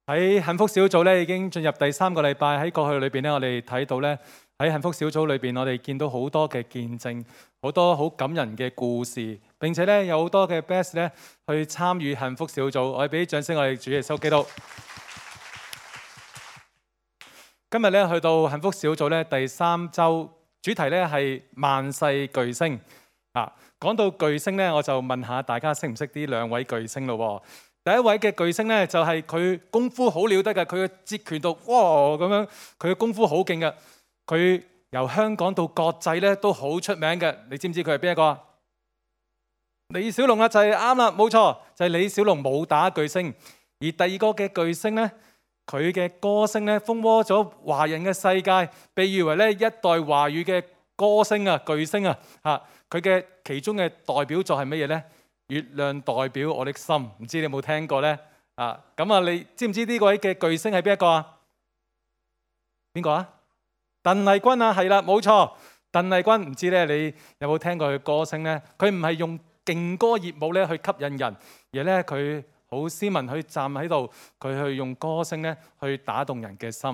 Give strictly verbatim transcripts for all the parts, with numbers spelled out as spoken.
喺幸福小組咧，已經進入第三個禮拜。喺過去裏邊咧，我哋睇到咧，喺幸福小組裏邊，我哋見到好多嘅見證，好多好感人嘅故事，並且咧有好多嘅 best 咧去參與幸福小組。我哋俾啲掌聲，我哋主耶穌基督。今日咧去到幸福小組咧第三週，主題咧係萬世巨星啊。講到巨星咧，我就問下大家識唔識呢兩位巨星咯？第一位嘅巨星咧，就係佢功夫好了得嘅，佢嘅截拳道哇咁樣，佢嘅功夫好勁嘅。佢由香港到國際咧都好出名嘅。你知唔知佢係邊一個啊？李小龍啊，就係啱啦，冇錯，就係李小龍武打巨星。而第二個嘅巨星咧，佢嘅歌聲咧風靡咗華人嘅世界，被譽為咧一代華語嘅歌星啊、巨星啊嚇。佢嘅其中嘅代表作係乜嘢咧？月亮代表我的心，唔知你有冇聽過呢？啊，咁啊，你知唔知呢位嘅巨星係邊一個啊？邊個啊？鄧麗君啊，係啦，冇錯，鄧麗君。唔知咧，你有冇聽過佢歌聲呢？佢唔係用勁歌熱舞咧去吸引人，而咧佢好斯文去站喺度，佢去用歌聲咧去打動人嘅心。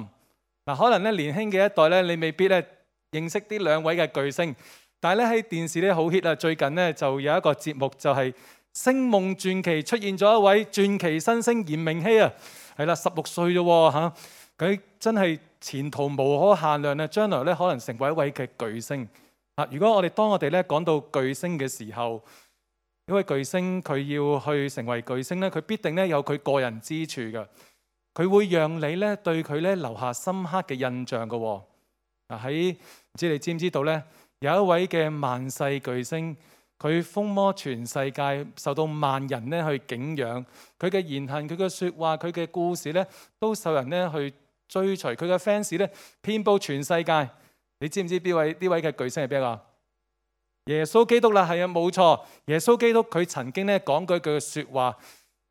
嗱、啊，可能咧年輕嘅一代咧，你未必咧認識呢兩位嘅巨星。但係咧喺電視咧好 hit 啊！最近咧就有一個節目就係《星夢傳奇》，出現咗一位傳奇新星嚴明熙啊，係啦，十六歲啫喎嚇，佢真係前途無可限量啊！將來咧可能成為一位嘅巨星啊！如果我哋當我哋咧講到巨星嘅時候，一位巨星佢要去成為巨星咧，佢必定咧有佢個人之處嘅，佢會讓你咧對佢咧留下深刻嘅印象嘅喎。啊，喺唔知你知唔知道咧？有一位嘅萬世巨星，佢風靡全世界，受到萬人咧去敬仰。佢嘅言行、佢嘅説話、佢嘅故事咧，都受人咧去追隨。佢嘅 fans 咧遍佈全世界。你知唔知呢位呢位嘅巨星係邊個？耶穌基督啦，係啊，冇錯。耶穌基督佢曾經咧講過一句説話，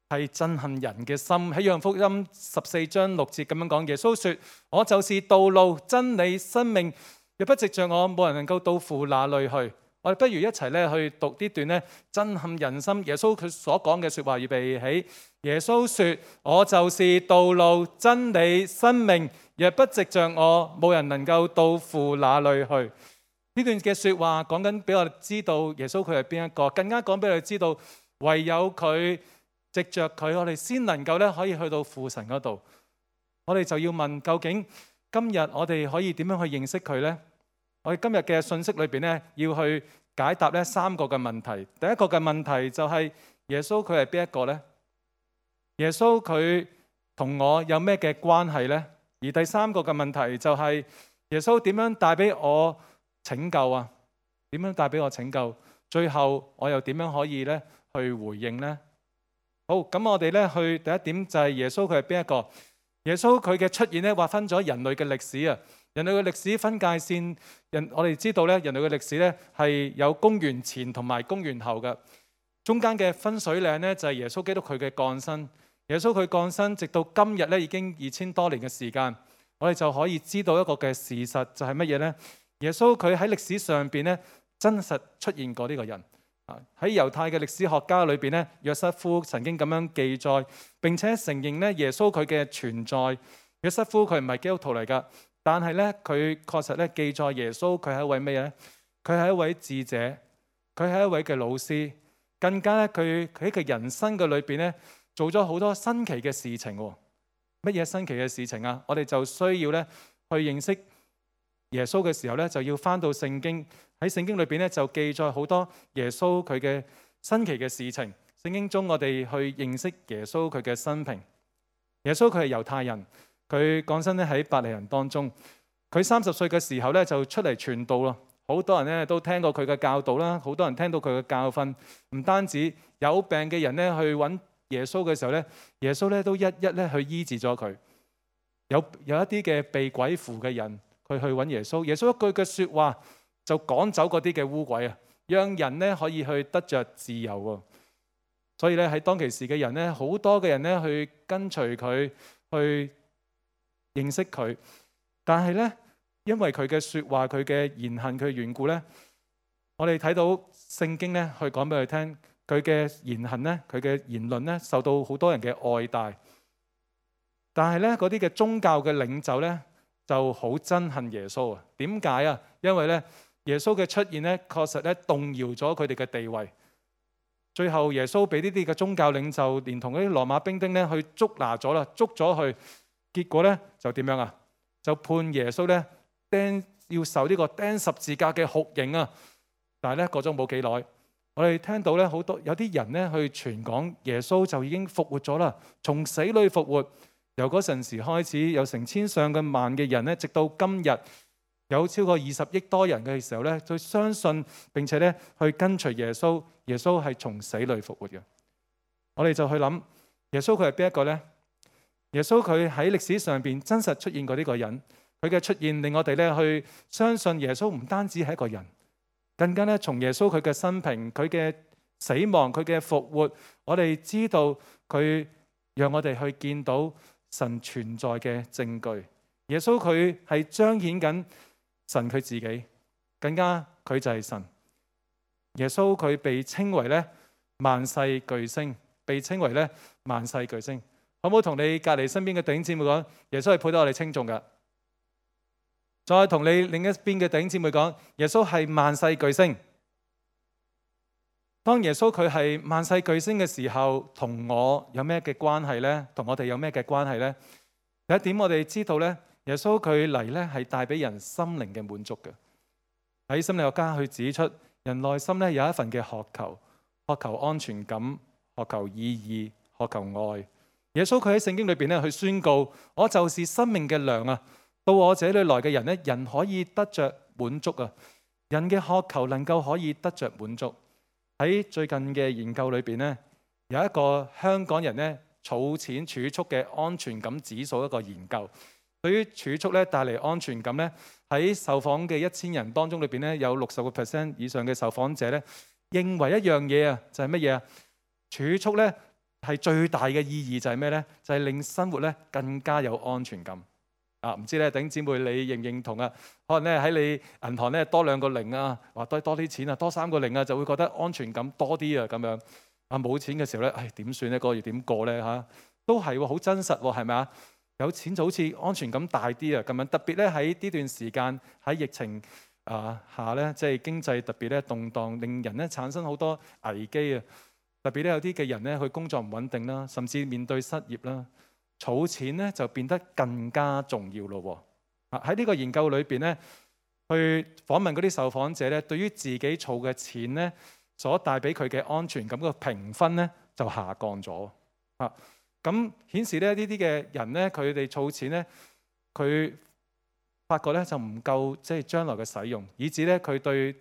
係震撼人嘅心。喺約翰福音十四章六節咁樣講，耶穌説：我就是道路、真理、生命。若不藉着我，冇人能夠到父那裏去。我哋不如一齊咧去讀呢段咧震撼人心。耶穌佢所講嘅説話，預備起。耶穌說：我就是道路、真理、生命。若不藉着我，冇人能夠到父那裏去。呢段嘅説話講緊俾我哋知道耶穌佢係邊一個，更加講俾我哋知道唯有佢藉着佢，我哋先能夠咧可以去到父神嗰度。我哋就要問，究竟今日我哋可以點樣去認識佢呢？我哋今日嘅信息裏邊咧，要去解答咧三個嘅問題。第一個嘅問題就係耶穌佢係邊一個呢？耶穌佢同我有咩嘅關係呢？而第三個嘅問題就係耶穌點樣帶俾我拯救啊？點樣帶俾我拯救？最後我又點樣可以咧去回應呢？好，咁我哋咧去第一點就係耶穌佢係邊一個？耶穌佢嘅出現咧，劃分咗人類嘅歷史啊！人類嘅歷史分界線，人我哋知道咧，人類嘅歷史咧係有公元前同埋公元後嘅。中間嘅分水嶺咧就係耶穌基督佢嘅降生。耶穌佢降生，直到今日咧已經二千多年嘅時間，我哋就可以知道一個嘅事實就係乜嘢呢？耶穌佢喺歷史上邊咧真實出現過呢個人。喺猶太嘅歷史學家裏邊咧，約瑟夫曾經咁樣記載，並且承認咧耶穌佢嘅存在。約瑟夫佢唔係基督徒嚟噶，但係咧佢確實咧記載耶穌佢係一位咩嘢咧？佢係一位智者，佢係一位嘅老師，更加咧佢佢喺佢人生嘅裏邊咧做咗好多新奇嘅事情。乜嘢新奇嘅事情啊？我哋就需要咧去認識耶穌嘅時候咧，就要翻到聖經。喺聖經裏邊咧就記載好多耶穌佢嘅新奇嘅事情。聖經中我哋去認識耶穌佢嘅生平。耶穌佢係猶太人，佢降生咧喺伯利恆當中。佢三十歲嘅時候咧就出嚟傳道咯。好多人咧都聽過佢嘅教導啦，好多人聽到佢嘅教訓。唔單止有病嘅人咧去揾耶穌嘅時候咧，耶穌咧都一一咧去醫治咗佢。有有一啲嘅被鬼附嘅人，佢去揾耶穌，耶穌一句嘅説話就趕走嗰啲嘅污鬼啊，讓人咧可以去得着自由喎。所以咧喺當其時嘅人咧，好多嘅人咧去跟隨佢，去認識佢。但係咧，因為佢嘅説話、佢嘅言行、佢嘅緣故咧，我哋睇到聖經咧去講俾佢聽，佢嘅言行咧、佢嘅言論咧受到好多人嘅愛戴。但係咧嗰啲嘅宗教嘅領袖咧就好憎恨耶穌啊。點解啊？因為咧耶穌嘅出現咧確實咧動搖咗佢哋嘅地位。最後耶穌俾呢啲嘅宗教領袖連同嗰啲羅馬兵丁咧去捉拿咗啦，捉咗去，結果咧就點樣啊？就判耶穌咧釘要受呢個釘十字架嘅酷刑啊！但係咧過咗冇幾耐，我哋聽到咧好多有啲人咧去傳講耶穌就已經復活咗啦，從死裏復活。由嗰陣時開始，有成千上嘅萬嘅人咧，直到今日有超過二十億多人嘅時候咧，就相信並且咧去跟隨耶穌。耶穌係從死裏復活嘅。我哋就去諗耶穌佢係邊一個呢？耶穌佢喺歷史上邊真實出現過呢個人，佢嘅出現令我哋咧去相信耶穌唔單止係一個人，更加咧從耶穌佢嘅生平、佢嘅死亡、佢嘅復活，我哋知道佢讓我哋去見到神存在嘅證據。耶穌佢係彰顯緊神佢自己，更加佢就係神。耶穌佢被稱為咧萬世巨星，被稱為咧萬世巨星。好唔好同你隔籬身邊嘅弟兄姊妹講，耶穌係配得我哋稱頌㗎？再同你另一邊嘅弟兄姊妹講，耶穌係萬世巨星。當耶穌佢係萬世巨星嘅時候，同我有咩嘅關係呢？同我哋有咩嘅關係呢？第一點我哋知道咧，耶穌佢嚟咧係帶俾人心靈嘅滿足嘅。喺心理學家去指出，人內心咧有一份嘅渴求，渴求安全感，渴求意義，渴求愛。耶穌佢喺聖經裏邊咧去宣告：我就是生命嘅糧啊！到我這裏來嘅人咧，人可以得着滿足啊！人嘅渴求能夠可以得着滿足。喺最近嘅研究裏邊咧，有一個香港人咧儲錢儲蓄嘅安全感指數一個研究，對於儲蓄咧帶嚟安全感咧。喺受訪嘅一千人當中裏邊咧，有六十個 percent 以上嘅受訪者咧，認為一樣嘢啊，就係乜嘢啊？儲蓄咧係最大嘅意義就係咩咧？就係令生活咧更加有安全感啊！唔知咧，弟兄姊妹你認唔認同啊？可能咧喺你銀行咧多兩個零啊，或多多啲錢啊，多三個零啊，就會覺得安全感多啲啊咁樣。啊冇錢嘅時候咧，唉點算咧？嗰個月點過咧嚇？都係喎，好真實喎，係咪啊？有錢就好似安全感大啲啊，咁樣特別咧喺呢段時間喺疫情啊下咧，即係經濟特別咧動盪，令人咧產生好多危機啊。特別咧有啲嘅人咧佢工作唔穩定啦，甚至面對失業啦，儲錢咧就變得更加重要咯。啊喺呢個研究裏邊咧，去訪問嗰啲受訪者咧，對於自己儲嘅錢咧所帶俾佢嘅安全感個評分咧就下降咗啊。咁顯示咧呢啲嘅人咧，佢哋儲錢咧，佢發覺咧就唔夠，即係將來嘅使用，以至咧佢對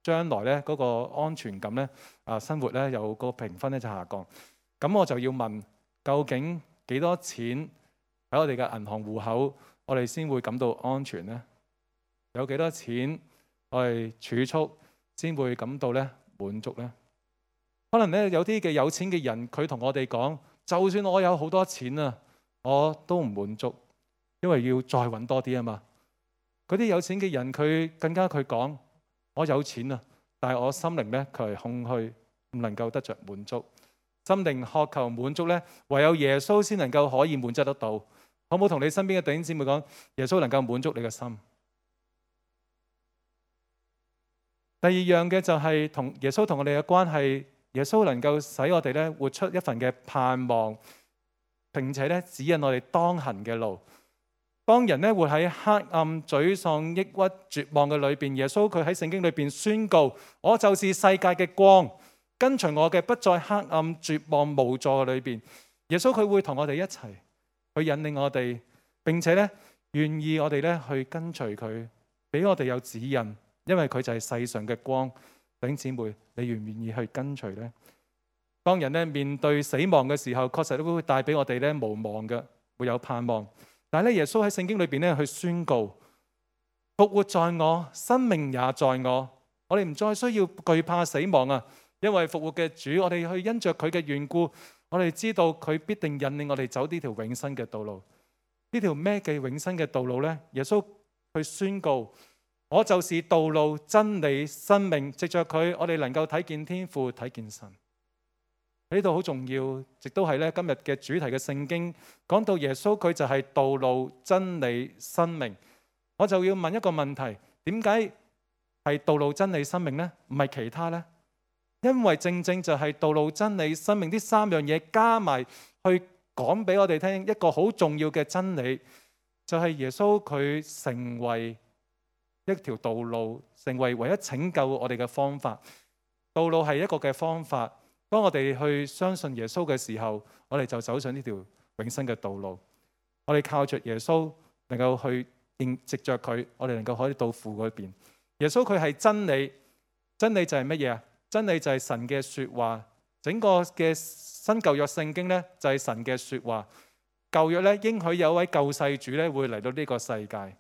將來咧嗰個安全感咧啊生活咧有個評分咧就下降。咁我就要問，究竟幾多錢喺我哋嘅銀行戶口，我哋先會感到安全呢？有幾多錢我哋儲蓄先會感到咧滿足呢？可能咧有啲嘅有錢嘅人，佢同我哋講。就算我有好多錢啊，我都唔滿足，因為要再揾多啲啊嘛。嗰啲有錢嘅人，佢更加佢講：我有錢啊，但係我心靈咧佢係空虛，唔能夠得着滿足。心靈渴求滿足咧，唯有耶穌先能夠可以滿足得到。好唔好同你身邊嘅弟兄姊妹講，耶穌能夠滿足你嘅心。第二樣嘅就係同耶穌同我哋嘅關係。耶穌能夠使我哋咧活出一份嘅盼望，並且咧指引我哋當行嘅路。當人咧活喺黑暗、沮喪、抑鬱、絕望嘅裏邊，耶穌佢喺聖經裏邊宣告：我就是世界嘅光，跟隨我嘅不在黑暗、絕望、無助嘅裏邊。耶穌佢會同我哋一齊去引領我哋，並且咧願意我哋咧去跟隨佢，俾我哋有指引，因為佢就係世上嘅光。弟兄姊妹，你願唔願意去跟隨呢？當人咧面對死亡嘅時候，確實都會帶俾我哋咧無望嘅，會有盼望。但係咧，耶穌喺聖經裏邊咧去宣告：復活在我，生命也在我。我哋唔再需要懼怕死亡啊，因為復活嘅主，我哋去因着佢嘅緣故，我哋知道佢必定引領我哋走呢條永生嘅道路。呢條咩嘅永生嘅道路呢？耶穌去宣告。我就是道路、真理、生命，藉着佢，我哋能夠睇見天父，睇見神。呢度好重要，亦都係咧今日嘅主題嘅聖經講到耶穌佢就係道路、真理、生命。我就要問一個問題：點解係道路、真理、生命呢？唔係其他呢？因為正正就係道路、真理、生命呢三樣嘢加埋去講俾我哋聽一個好重要嘅真理，就係耶穌佢成為一條道路，成為唯一拯救我哋嘅方法。道路係一個嘅方法，當我哋去相信耶穌嘅時候，我哋就走上呢條永生嘅道路。我哋靠着耶穌能夠去認藉着佢，我哋能夠可以到父嗰邊。耶穌佢係真理，真理就係乜嘢啊？真理就係神嘅說話。整個嘅新舊約聖經呢，就係神嘅說話。舊約咧應許有一位救世主咧會嚟到呢個世界，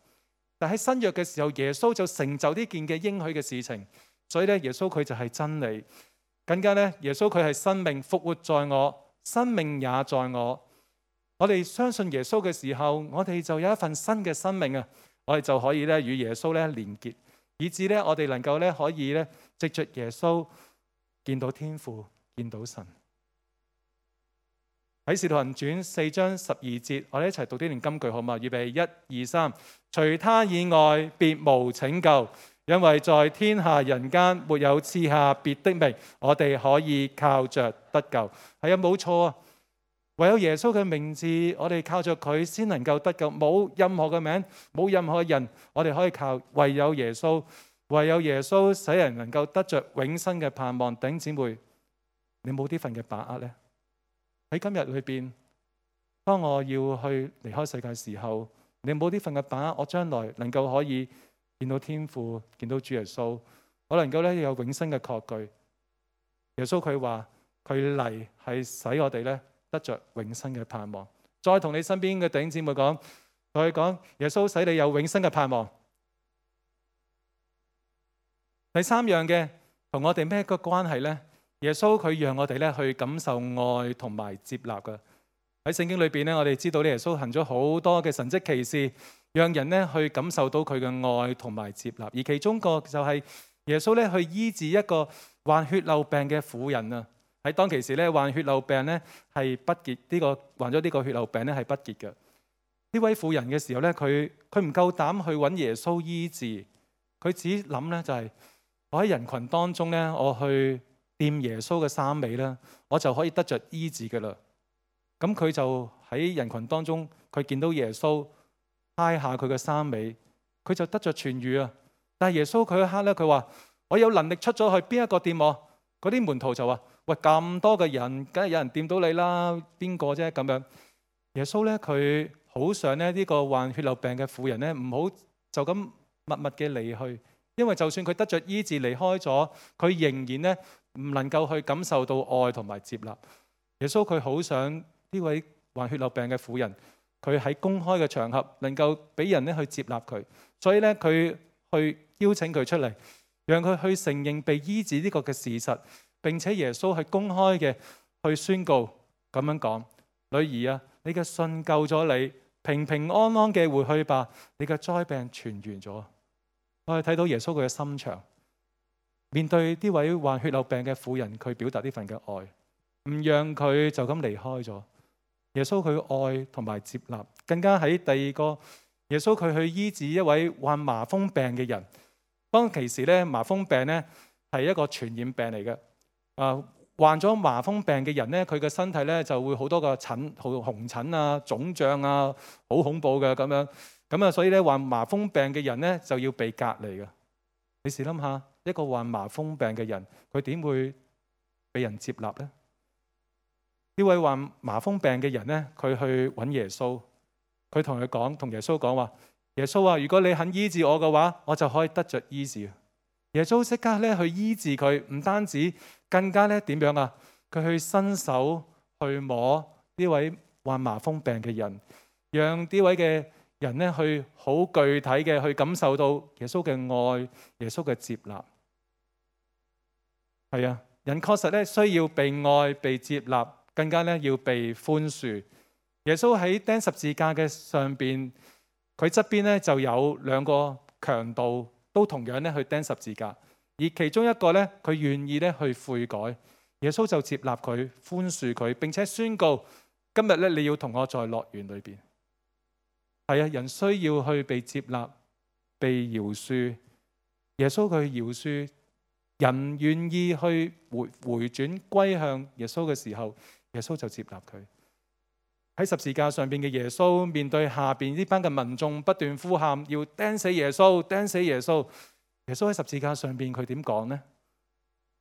但喺新約嘅時候，耶穌就成就呢件嘅應許嘅事情。所以咧，耶穌佢就係真理，更加咧，耶穌佢係生命，復活在我，生命也在我。我哋相信耶穌嘅時候，我哋就有一份新嘅生命啊！我哋就可以咧與耶穌咧連結，以致咧我哋能夠咧可以咧藉着耶穌見到天父，見到神。喺《使徒行傳》四章十二節，我哋一齊讀呢段金句好嘛？預備一二三，除他以外，別無拯救。因為在天下人間沒有賜下別的名，我哋可以靠着得救。係啊，冇錯啊！唯有耶穌嘅名字，我哋靠着佢先能夠得救。冇任何嘅名，冇任何人，我哋可以靠，唯有耶穌，唯有耶穌使人能夠得着永生嘅盼望。弟兄姊妹，你冇呢份嘅把握呢？喺今日裏邊，當我要去離開世界嘅時候，你冇呢份嘅把握，我將來能夠可以見到天父，見到主耶穌，我能夠咧有永生嘅確據。耶穌佢話佢嚟係使我哋咧得着永生嘅盼望。再同你身邊嘅弟兄姊妹講，同佢講耶穌使你有永生嘅盼望。第三樣嘅同我哋咩個關係呢？耶穌佢讓我哋咧去感受愛同埋接納嘅。喺聖經裏邊咧，我哋知道咧耶穌行咗好多嘅神蹟奇事，讓人咧去感受到佢嘅愛同埋接納。而其中個就係耶穌咧去醫治一個患血漏病嘅婦人啊。喺當其時咧，患血漏病咧係不潔，呢、這個患咗呢個血漏病咧係不潔嘅。呢位婦人嘅時候咧，佢佢唔夠膽去揾耶穌醫治，佢只諗咧就係、是、我喺人群當中咧，我去掂耶穌嘅衫尾咧，我就可以得着醫治嘅啦。咁佢就喺人群當中，佢見到耶穌揩下佢嘅衫尾，佢就得着痊癒啊！但係耶穌佢一刻咧，佢話我有能力出咗去，邊一個掂我？嗰啲門徒就話：喂，咁多嘅人，梗係有人掂到你啦，邊個啫？咁樣耶穌咧，佢好想咧呢個患血漏病嘅婦人咧，唔好就咁默默嘅離去，因為就算佢得着醫治離開咗，佢仍然咧唔能夠去感受到愛同埋接納。耶穌佢好想呢位患血漏病嘅婦人，佢喺公開嘅場合能夠俾人咧去接納佢，所以咧佢去邀請佢出嚟，讓佢去承認被醫治呢個嘅事實，並且耶穌係公開嘅去宣告咁樣講：女兒啊，你嘅信救咗你，平平安安嘅回去吧，你嘅災病痊癒咗。我哋睇到耶穌佢嘅心腸，面對呢位患血漏病嘅婦人，佢表達呢份嘅愛，唔讓佢就咁離開咗。耶穌佢愛同埋接納，更加喺第二個，耶穌佢去醫治一位患麻風病嘅人。當其時咧，麻風病咧係一個傳染病嚟嘅。啊，患咗麻風病嘅人咧，佢嘅身體咧就會好多個疹，好紅疹啊、腫脹啊，好恐怖嘅咁樣。咁啊，所以咧患麻風病嘅人咧就要被隔離嘅。你試諗下，一個患麻風病嘅人，佢點會被人接納呢？呢位患麻風病嘅人咧，佢去揾耶穌，佢同佢講，同耶穌講話：耶穌啊，如果你肯醫治我嘅話，我就可以得着醫治。耶穌即刻咧去醫治佢，唔單止，更加咧點樣啊？佢去伸手去摸呢位患麻風病嘅人，讓呢位嘅人咧去好具體嘅去感受到耶穌嘅愛，耶穌嘅接納。係啊，人確實咧需要被愛、被接納，更加咧要被寬恕。耶穌喺釘十字架嘅上邊，佢側邊咧就有兩個強盜，都同樣咧去釘十字架。而其中一個咧，佢願意咧去悔改；耶穌就接納佢，寬恕佢，並且宣告：今日咧，你要同我在樂園裏邊。係啊，人需要去被接納、被饒恕。耶穌佢饒恕人，願意去回回轉歸向耶穌嘅時候，耶穌就接納佢。喺十字架上邊嘅耶穌面對下邊呢班嘅民眾不斷呼喊，要釘死耶穌，釘死耶穌。耶穌喺十字架上邊佢點講呢？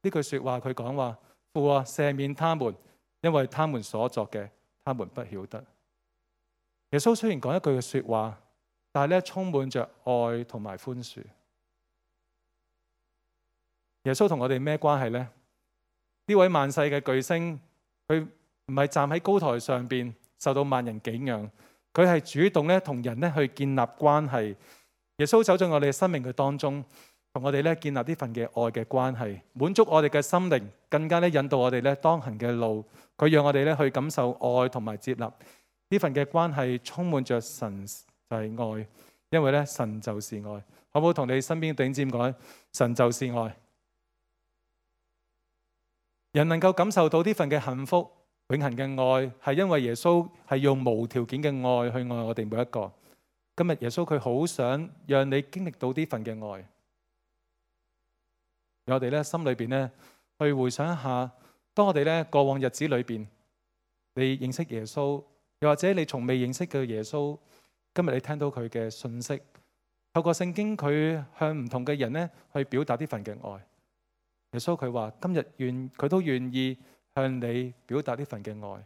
呢句說話佢講話：父啊，赦免他們，因為他們所作嘅，他們不曉得。耶穌雖然講一句嘅說話，但係咧充滿着愛同埋寬恕。耶穌同我哋咩關係呢？呢位萬世嘅巨星，佢唔係站喺高台上邊受到萬人景仰，佢係主動咧同人咧去建立關係。耶穌走進我哋嘅生命嘅當中，同我哋咧建立呢份嘅愛嘅關係，滿足我哋嘅心靈，更加咧引導我哋咧當行嘅路。佢讓我哋咧去感受愛同埋接納。呢份嘅關係充滿着神就係愛，因為咧神就是愛。好唔好同你身邊頂尖講，神就是愛。人能夠感受到呢份嘅幸福、永恆嘅愛，係因為耶穌係用無條件嘅愛去愛我哋每一個。今日耶穌佢好想讓你經歷到呢份嘅愛。我哋咧心裏邊咧去回想一下，當我哋咧過往日子裏邊，你認識耶穌，又或者你從未認識嘅耶穌，今日你聽到佢嘅信息，透過聖經佢向唔同嘅人咧去表達呢份嘅愛。耶穌佢話今日願佢都願意向你表達呢份嘅愛。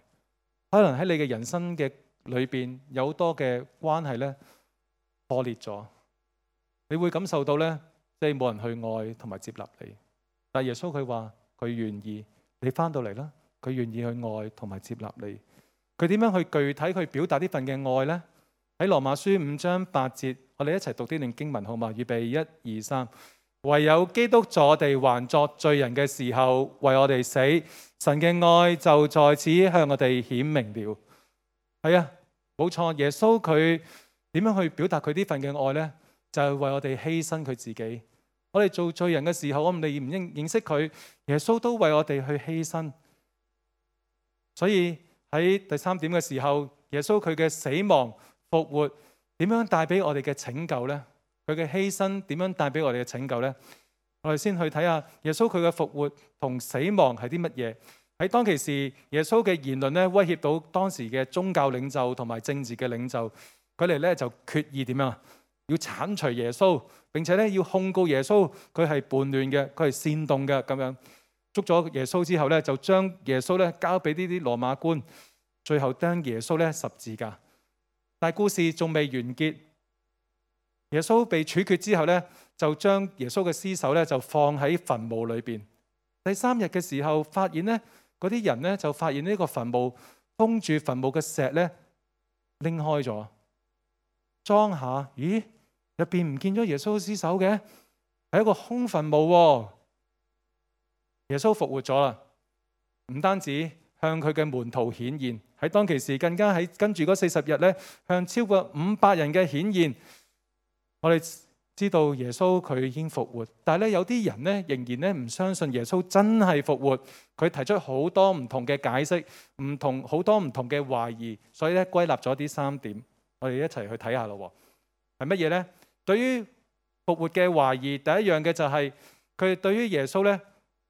可能喺你嘅人生嘅裏邊有好多嘅關係咧破裂咗，你會感受到咧即係冇人去愛同埋接納你。但耶穌佢話佢願意，你翻到嚟啦，佢願意去愛同埋接納你。佢點樣去具體去表達呢份嘅愛呢？喺羅馬書五章八節，我哋一齊讀呢段經文好嘛？預備一二三。唯有基督坐地還作罪人嘅時候為我哋死，神嘅愛就在此向我哋顯明了。係啊，冇錯，耶穌佢點樣去表達佢呢份嘅愛呢？就係為我哋犧牲佢自己。我哋做罪人嘅時候，我哋唔認認識佢，耶穌都為我哋去犧牲。所以喺第三點嘅時候，耶穌佢嘅死亡復活點樣帶俾我哋嘅拯救呢？佢嘅犧牲點樣帶俾我哋嘅拯救呢？我哋先去睇下耶穌佢嘅復活同死亡係啲乜嘢。喺當其時，耶穌嘅言論咧威脅到當時嘅宗教領袖同埋政治嘅領袖，佢哋咧就決意點樣？要剷除耶穌，並且咧要控告耶穌，佢係叛亂嘅，佢係煽動嘅咁樣。捉咗耶穌之後咧，就將耶穌咧交俾呢啲羅馬官，最後釘耶穌咧十字架。但係故事仲未完結。耶穌被處決之後咧，就將耶穌嘅屍首咧就放喺墳墓裏邊。第三日嘅時候，發現咧嗰啲人咧就發現呢個墳墓封住墳墓嘅石咧拎開咗，裝下，咦，入邊唔見咗耶穌嘅屍首嘅，係一個空墳墓喎。耶穌復活咗啦，唔單止向佢嘅門徒顯現，喺當其時更加喺跟住嗰四十日咧，向超過五百人嘅顯現。我哋知道耶穌佢已經復活，但係咧有啲人咧仍然咧唔相信耶穌真係復活，佢提出好多唔同嘅解釋，唔同好多唔同嘅懷疑，所以咧歸納咗啲三點，我哋一齊去睇下咯。係乜嘢呢？對於復活嘅懷疑，第一樣嘅就係佢哋對於耶穌咧，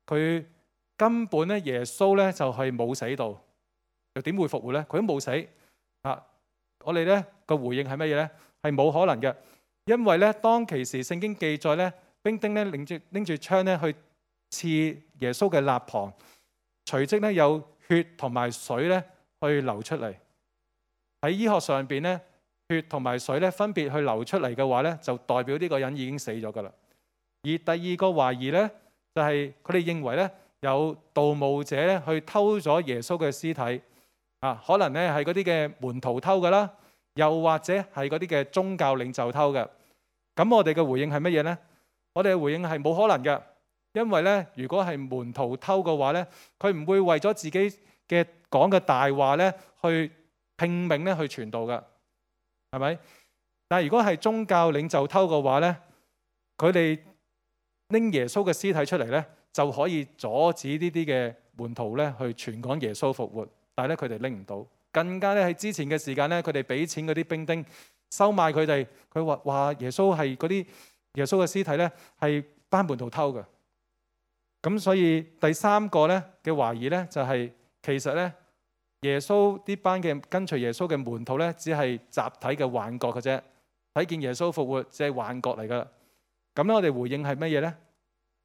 佢根本咧耶穌咧就係冇死到，又點會復活咧？佢都冇死啊！我哋咧個回應係乜嘢咧？係冇可能嘅。因為咧，當其時聖經記載咧，兵丁咧拎住拎住槍咧去刺耶穌嘅肋旁，隨即咧有血同埋水咧去流出嚟。喺醫學上邊咧，血同埋水咧分別去流出嚟嘅話咧，就代表呢個人已經死咗噶啦。而第二個懷疑咧，就係佢哋認為咧有盜墓者咧去偷咗耶穌嘅屍體啊，可能咧係嗰啲嘅門徒偷噶啦。又或者係嗰啲嘅宗教領袖偷嘅，咁我哋嘅回應係乜嘢呢？我哋嘅回應係冇可能嘅，因為咧，如果係門徒偷嘅話咧，佢唔會為咗自己嘅講嘅大話咧，去拼命咧去傳道嘅，係咪？但係如果係宗教領袖偷嘅話咧，佢哋拎耶穌嘅屍體出嚟咧，就可以阻止呢啲嘅門徒咧去傳講耶穌復活，但係咧佢哋拎唔到。更加咧喺之前嘅時間咧，佢哋俾錢嗰啲兵丁收買佢哋，佢話話耶穌係嗰啲耶穌嘅屍體咧係班門徒偷嘅。咁所以第三個咧嘅懷疑咧就係、是、其實咧耶穌呢班嘅跟隨耶穌嘅門徒咧只係集體嘅幻覺嘅啫，睇見耶穌復活只係幻覺嚟噶。咁咧我哋回應係乜嘢咧？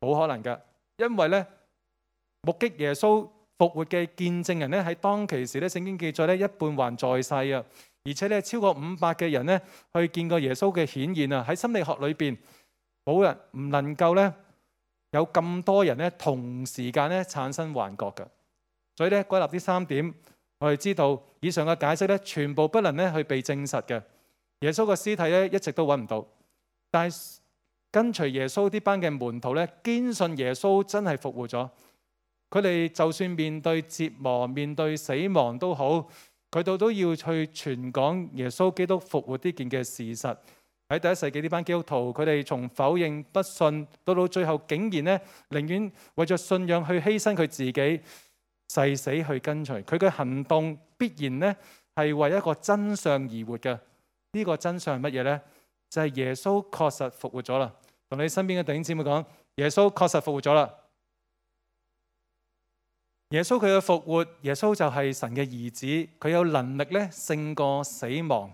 冇可能噶，因為咧目擊耶穌復活嘅見證人咧喺當其時咧聖經記載咧一半還在世啊，而且咧超過五百嘅人咧去見過耶穌嘅顯現啊。喺心理學裏邊冇人唔能夠咧有咁多人咧同時間咧產生幻覺嘅。所以咧歸納呢三點，我哋知道以上嘅解釋咧全部不能咧去被證實嘅。耶穌嘅屍體咧一直都揾唔到，但係跟隨耶穌呢班嘅門徒咧堅信耶穌真係復活咗。佢哋就算面對折磨、面對死亡都好，佢哋都要去傳講耶穌基督復活呢件嘅事實。喺第一世紀呢班基督徒，佢哋從否認、不信，到到最後竟然咧寧願為咗信仰去犧牲佢自己，誓死去跟隨。佢嘅行動必然咧係為一個真相而活嘅。呢個真相係乜嘢呢？就係耶穌確實復活咗啦。同你身邊嘅弟兄姊妹講，耶穌確實復活咗啦。耶穌佢嘅復活，耶穌就係神嘅兒子，佢有能力咧勝過死亡。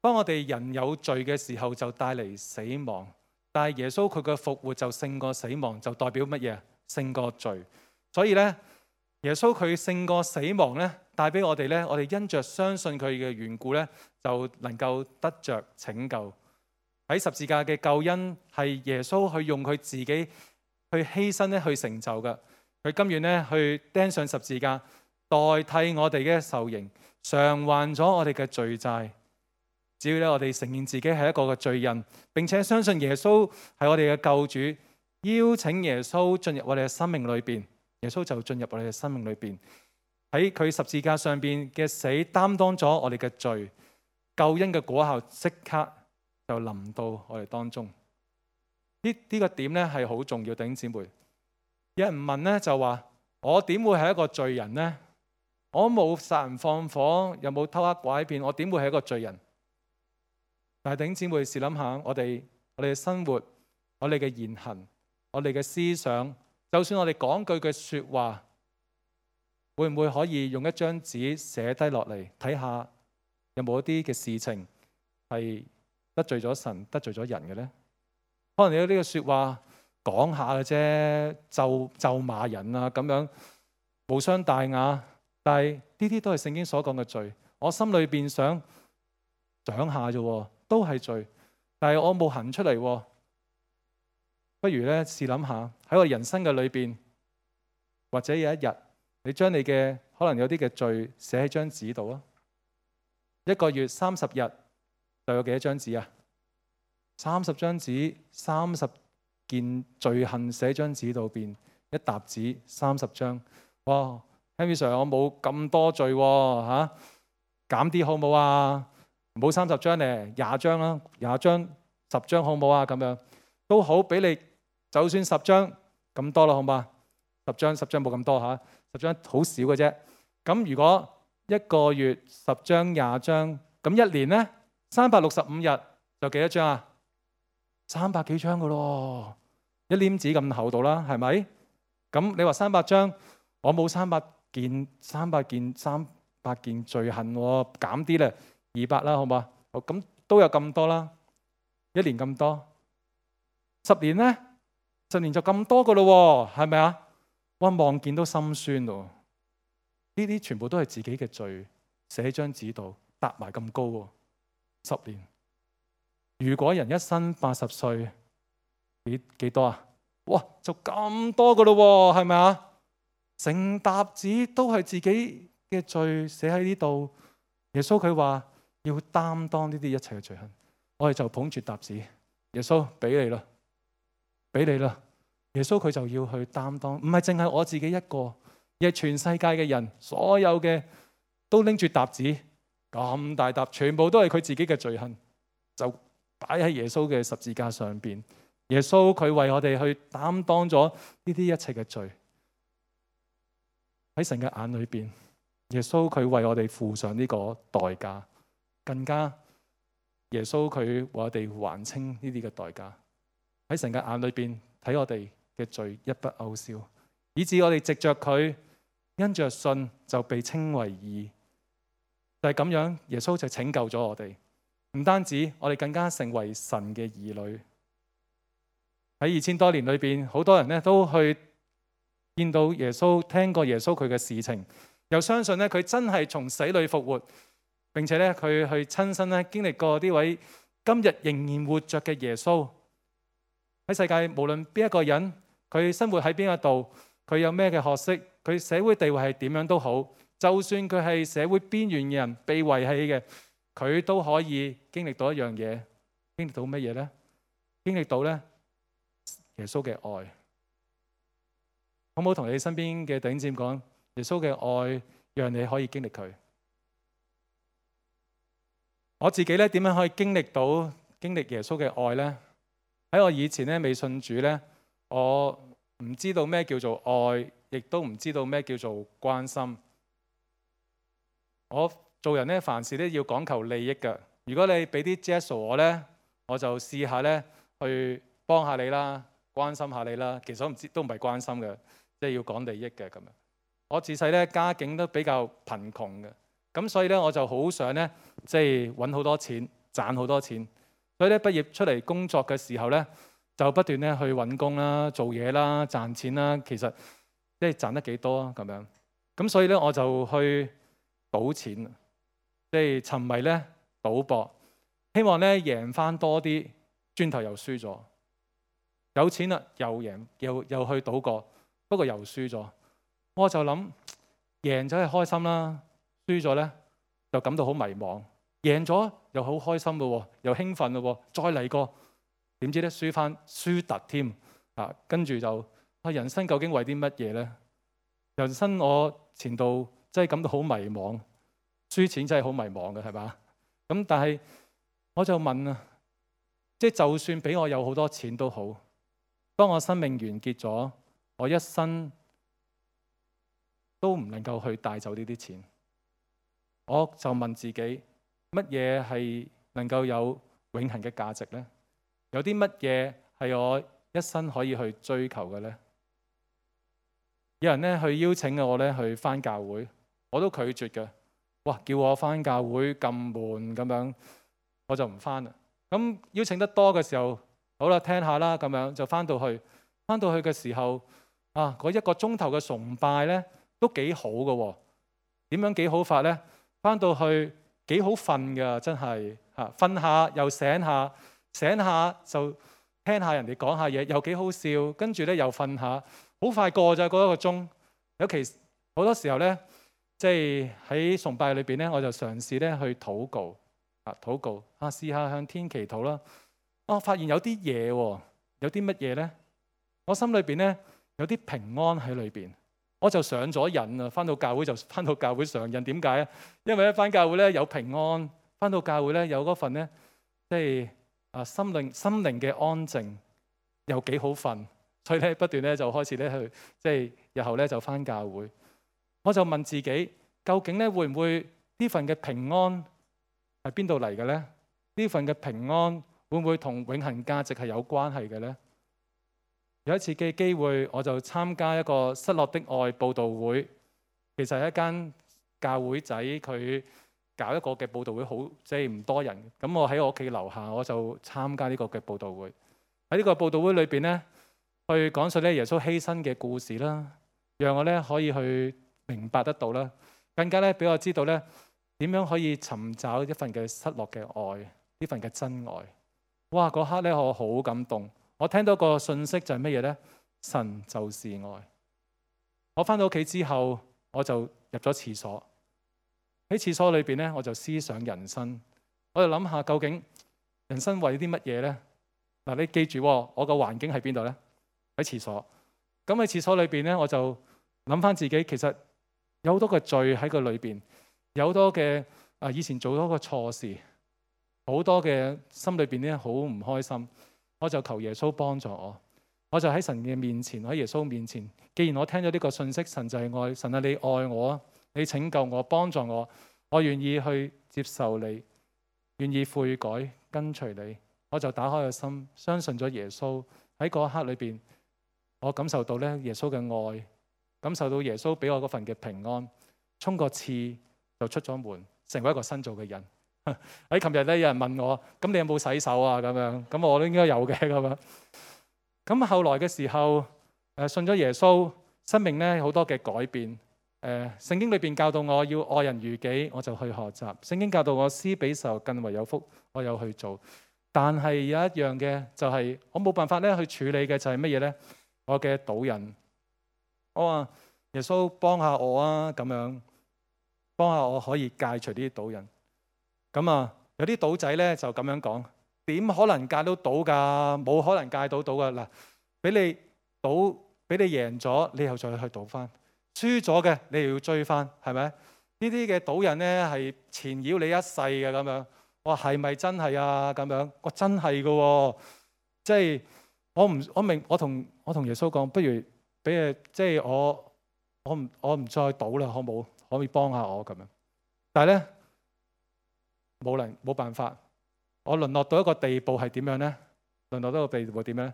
當我哋人有罪嘅時候，就帶嚟死亡。但係耶穌佢嘅復活就勝過死亡，就代表乜嘢？勝過罪。所以咧，耶穌佢勝過死亡咧，帶俾我哋咧，我哋因着相信佢嘅緣故咧，就能夠得着拯救。喺十字架嘅救恩係耶穌去用佢自己去犧牲咧去成就嘅。佢甘願咧去釘上十字架，代替我哋嘅受刑，償還咗我哋嘅罪債。只要咧我哋承認自己係一個嘅罪人，並且相信耶穌係我哋嘅救主，邀請耶穌進入我哋嘅生命裏邊，耶穌就進入我哋嘅生命裏邊。喺佢十字架上邊嘅死，擔當咗我哋嘅罪，救恩嘅果效即刻就臨到我哋當中。呢、這、呢個點咧係好重要，弟兄姊妹。有人問咧就話：我點會係一個罪人呢？我冇殺人放火，又冇偷呃拐騙，我點會係一個罪人？但係弟兄姊妹試諗下，我哋我哋嘅生活，我哋嘅言行，我哋嘅思想，就算我哋講句嘅說話，會唔會可以用一張紙寫低落嚟睇下，有冇一啲嘅事情係得罪咗神、得罪咗人嘅呢？可能你有呢個說話講下嘅啫，咒咒罵人啊咁樣，無傷大雅。但係呢啲都係聖經所講嘅罪。我心裏邊想講下啫，都係罪。但係我冇行出嚟，不如咧試諗下喺我人生嘅裏邊，或者有一日你將你嘅可能有啲嘅罪寫喺張紙度啊。一個月三十日就有幾多張紙啊？三十張紙，三十件罪行寫張紙度邊，一沓紙三十張。哇 Henry Sir 我冇咁多罪喎，嚇，減啲好冇啊？唔好三十張咧，廿張啦，廿張十張好冇啊？咁樣都好，俾你就算十張咁多啦，好嘛？十張十張冇咁多嚇，十張好少嘅啫。咁如果一個月十張廿張，咁一年咧三百六十五日就幾多張啊？三百幾張噶咯，一黏紙咁厚度啦，係咪？咁你話三百張，我冇三百件，三百件，三百件罪行，減啲咧，二百啦，好嘛？好，咁都有咁多啦，一年咁多，十年咧，十年就咁多噶咯，係咪啊？哇，望見都心酸咯。呢啲全部都係自己嘅罪，寫喺張紙度，搭埋咁高喎，十年。如果人一生八十歲，幾幾多啊？哇，就咁多噶咯，係咪啊？成沓紙都係自己嘅罪寫喺呢度。耶穌佢話要擔當呢啲一切嘅罪行，我哋就捧住沓紙，耶穌俾你啦，俾你啦。耶穌佢就要去擔當，唔係淨係我自己一個，而係全世界嘅人，所有嘅都拎住沓紙，咁大沓，全部都係佢自己嘅罪行，就擺喺耶穌嘅十字架上邊。耶穌佢為我哋去擔當咗呢啲一切嘅罪。喺神嘅眼裏邊，耶穌佢為我哋付上呢個代價，更加耶穌佢為我哋還清呢啲嘅代價。喺神嘅眼裏邊睇我哋嘅罪一筆勾銷，以致我哋藉着佢因着信就被稱為義。就係咁樣，耶穌就拯救咗我哋。唔單止我哋更加成為神嘅兒女。喺二千多年裏邊，好多人咧都去見到耶穌，聽過耶穌佢嘅事情，又相信咧佢真係從死裏復活，並且咧佢去親身咧經歷過呢位今日仍然活着嘅耶穌。喺世界無論邊一個人，佢生活喺邊一度，佢有咩嘅學識，佢社會地位係點樣都好，就算佢係社會邊緣嘅人，被遺棄嘅，佢都可以經歷到一樣嘢。經歷到乜嘢呢？經歷到咧耶穌嘅愛。好唔好同你身邊嘅弟兄姊妹講，耶穌嘅愛讓你可以經歷佢。我自己咧點樣可以經歷到經歷耶穌嘅愛呢？喺我以前咧未信主咧，我唔知道咩叫做愛，亦都唔知道咩叫做關心。我做人咧凡事都要講求利益㗎。如果你俾啲 gesture 我咧，我就試下咧去幫下你啦，關心下你啦。其實我唔知都唔係關心嘅，即係要講利益嘅咁樣。我自細咧家境都比較貧窮嘅，咁所以咧我就好想咧即係揾好多錢，賺好多錢。所以咧畢業出嚟工作嘅時候咧，就不斷咧去揾工啦、做嘢啦、賺錢啦。其實即係賺得幾多啊？咁樣咁所以咧我就去賭錢，即係沉迷咧賭博，希望咧贏翻多啲，轉頭又輸咗。有錢啦，又贏，又又去賭過，不過又輸咗。我就諗贏咗係開心啦，輸咗咧就感到好迷茫。贏咗又好開心咯，又興奮咯，再嚟過，點知咧輸翻輸突添啊！跟住就啊，人生究竟為啲乜嘢咧？人生我前度真係感到好迷茫，輸錢真係好迷茫嘅，係嘛？咁但係我就問啊，即係就算俾我有好多錢都好，當我生命完結咗，我一生都唔能夠去帶走呢啲錢。我就問自己，乜嘢係能夠有永恆嘅價值呢？有啲乜嘢係我一生可以去追求嘅呢？有人咧去邀請我咧去返教會，我都拒絕嘅。哇！叫我返教會咁悶咁樣，我就唔返啦。咁邀請得多嘅時候，好啦，聽下啦，咁樣就返到去。返到去嘅時候啊，嗰一個鐘頭嘅崇拜咧都幾好嘅喎。點樣幾好法咧？返到去幾好瞓㗎，真係嚇，瞓下又醒下，醒下就聽下人哋講下嘢，又幾好笑。跟住咧又瞓下，好快過咗嗰一個鐘。尤其好多時候咧，即係喺崇拜裏邊咧，我就嘗試咧去禱告啊，禱告啊，試下向天祈禱啦。我發現有啲嘢喎，有啲乜嘢咧？我心裏邊咧有啲平安喺裏邊。我就上咗癮啊！返到教會就返到教會上癮，點解啊？因為咧返教會咧有平安，返到教會咧有嗰份咧，即係啊心靈心靈嘅安靜，又幾好瞓，所以咧不斷咧就開始咧去，即係日後咧就返教會。我就問自己，究竟咧會唔會呢份嘅平安係邊度嚟嘅咧？呢份嘅平安會唔會同永恆價值係有關係嘅咧？有一次嘅機會，我就參加一個失落的愛佈道會。其實係一間教會仔，佢搞一個嘅佈道會，好即係唔多人。咁我喺我屋企樓下，我就參加呢個嘅佈道會。喺呢個佈道會裏邊咧，去講述咧耶穌犧牲嘅故事啦，讓我咧可以去明白得到啦，更加咧俾我知道咧點樣可以尋找一份嘅失落嘅愛，呢份嘅真愛。哇！嗰刻咧我好感動。我聽到個信息就係乜嘢呢？神就是愛。我返到屋企之後，我就入咗廁所。喺廁所裏邊咧，我就思想人生。我就諗下究竟人生為啲乜嘢呢？嗱，你記住，我個環境喺邊度呢？喺廁所。咁喺廁所裏邊咧，我就諗翻自己，其實有好多嘅罪喺個裏邊，有好多嘅啊以前做咗個錯事，好多嘅心裏邊咧好唔開心。我就求耶穌幫助我，我就喺神嘅面前，喺耶穌面前。既然我聽咗呢個信息，神就係愛，神啊，你愛我啊，你拯救我，幫助我，我願意去接受你，願意悔改跟隨你。我就打開個心，相信咗耶穌。喺嗰一刻裏邊，我感受到咧耶穌嘅愛，感受到耶穌俾我嗰份嘅平安，衝個刺就出咗門，成為一個新造嘅人。喺琴日咧，有人問我，咁你有冇洗手啊？咁樣，咁我都應該有嘅咁樣。咁後來嘅時候，誒信咗耶穌，生命咧好多嘅改變。誒聖經裏邊教導我要愛人如己，我就去學習。聖經教導我施比受更為有福，我有去做。但係有一樣嘅就係我冇辦法咧去處理嘅就係乜嘢咧？我嘅賭癮。我話耶穌幫下我啊，咁樣幫下我可以戒除呢啲賭癮。咁啊，有啲賭仔咧就咁樣講。點可能戒到賭㗎？冇可能戒到賭㗎。嗱，俾你賭，俾你贏咗，你又再去賭翻；輸咗嘅，你又要追翻，係咪？呢啲嘅賭人咧係纏繞你一世嘅咁樣。我話係咪真係啊？咁樣，我真係嘅喎。即係我唔，我明，我同我同耶穌講，不如俾誒，即係我我唔我唔再賭啦，好冇？可唔可以幫下我咁樣？但係咧冇能冇辦法。我淪落到一個地步係點樣呢？淪落到一個地步點樣呢？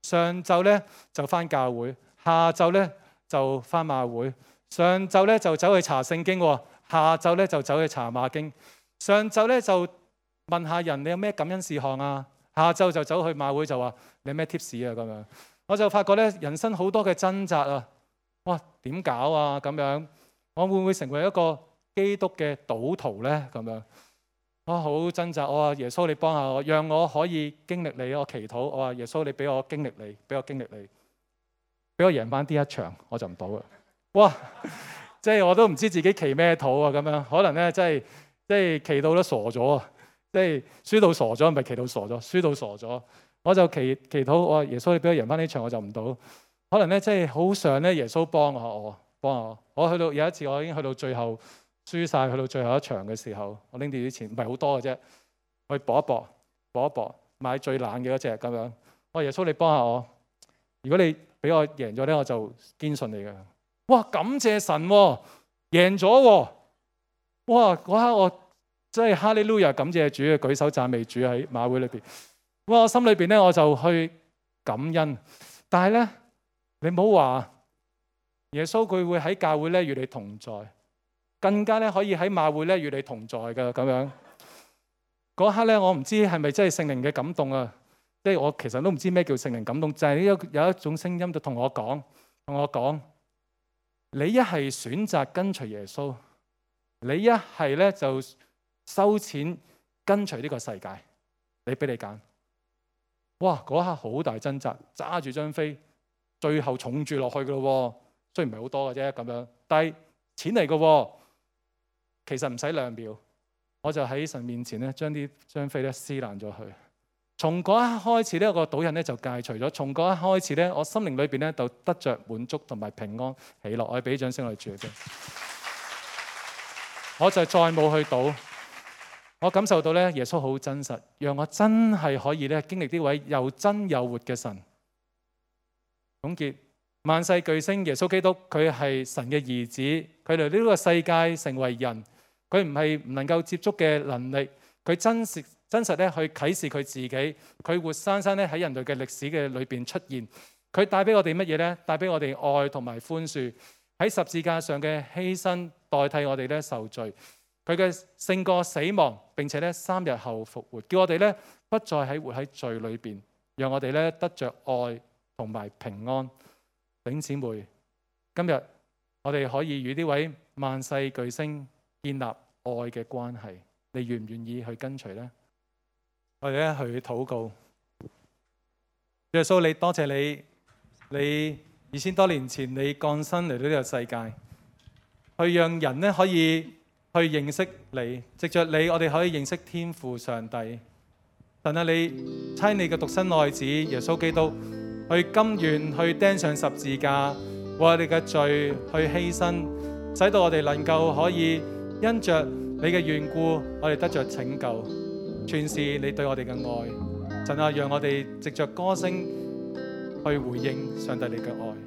上晝咧就返教會，下晝咧就返馬會。上晝咧就走去查聖經，下晝咧就走去查馬經。上晝咧就問下人你有咩感恩事項啊？下晝就走去馬會就話你有咩 tips 啊？咁樣我就發覺咧人生好多嘅掙扎啊！哇，點搞啊？咁樣我會唔會成為一個基督嘅賭徒咧？咁樣。我好掙扎，我話耶穌你幫下我，讓我可以經歷你。我祈禱，我話耶穌你俾我經歷你，俾我經歷你，俾我贏翻啲一場，我就唔賭啦。哇！即係我都唔知自己祈咩禱啊，咁樣可能咧，即係即係祈到都傻咗啊！即係輸到傻咗，唔係祈到傻咗，輸到傻咗。我就祈祈禱，我話耶穌你俾我贏翻呢場，我就唔賭。可能咧，即係好想咧，耶穌幫下我，幫下我。我去到有一次，我已經去到最後。輸晒去到最後一場嘅時候，我拎住啲錢，唔係好多嘅啫，我去搏一搏，搏一搏，買最懶嘅嗰隻咁樣。我話耶穌你幫下我，如果你俾我贏咗咧，我就堅信你嘅。哇！感謝神喎，贏咗喎！哇！嗰刻我真係哈利路亞，感謝主，舉手讚美主喺馬會裏邊。哇！我心裏邊咧我就去感恩，但係咧你唔好話耶穌佢會喺教會咧與你同在。更加咧可以喺馬會咧與你同在嘅咁樣。嗰刻咧我唔知係咪真係聖靈嘅感動啊！即係我其實都唔知咩叫聖靈感動，就係有有一種聲音就同我講，同我講：你一係選擇跟隨耶穌，你一係咧就收錢跟隨呢個世界，你俾你揀。哇！嗰刻好大掙扎，揸住張飛，最後重住落去嘅咯。雖然唔係好多嘅啫咁樣，但係錢嚟嘅喎。其實唔使兩秒，我就喺神面前咧，將啲張飛咧撕爛咗佢。從嗰一刻開始呢，個賭癮咧就戒除咗。從嗰一刻開始咧，我心靈裏邊咧就得着滿足同埋平安喜樂。我俾掌聲我哋主先。我就再冇去賭。我感受到咧，耶穌好真實，讓我真係可以咧經歷呢位又真又活嘅神。總結。萬世巨星耶穌基督，佢係神嘅兒子，佢嚟呢個世界成為人。佢唔係唔能夠接觸嘅能力，佢真實真實咧去啟示佢自己，佢活生生咧喺人類嘅歷史嘅裏邊出現。佢帶俾我哋乜嘢咧？帶俾我哋愛同埋寬恕，喺十字架上嘅犧牲代替我哋咧受罪。佢嘅勝過死亡，並且咧三日後復活，叫我哋咧不再喺活喺罪裏邊，讓我哋咧得着愛同埋平安。弟兄姊妹，今日我哋可以與呢位萬世巨星建立愛嘅關係，你願唔願意去跟隨呢？我哋咧去禱告。耶穌，你多謝你，你二千多年前你降生嚟到呢個世界，去讓人咧可以去認識你，藉着你我哋可以認識天父上帝。神啊，你差你嘅獨生愛子耶穌基督去甘願去釘上十字架，為我哋嘅罪去犧牲，使到我哋能夠可以因着你嘅緣故，我哋得着拯救，全是你對我哋嘅愛。神啊，讓我哋藉着歌聲去回應上帝你嘅愛。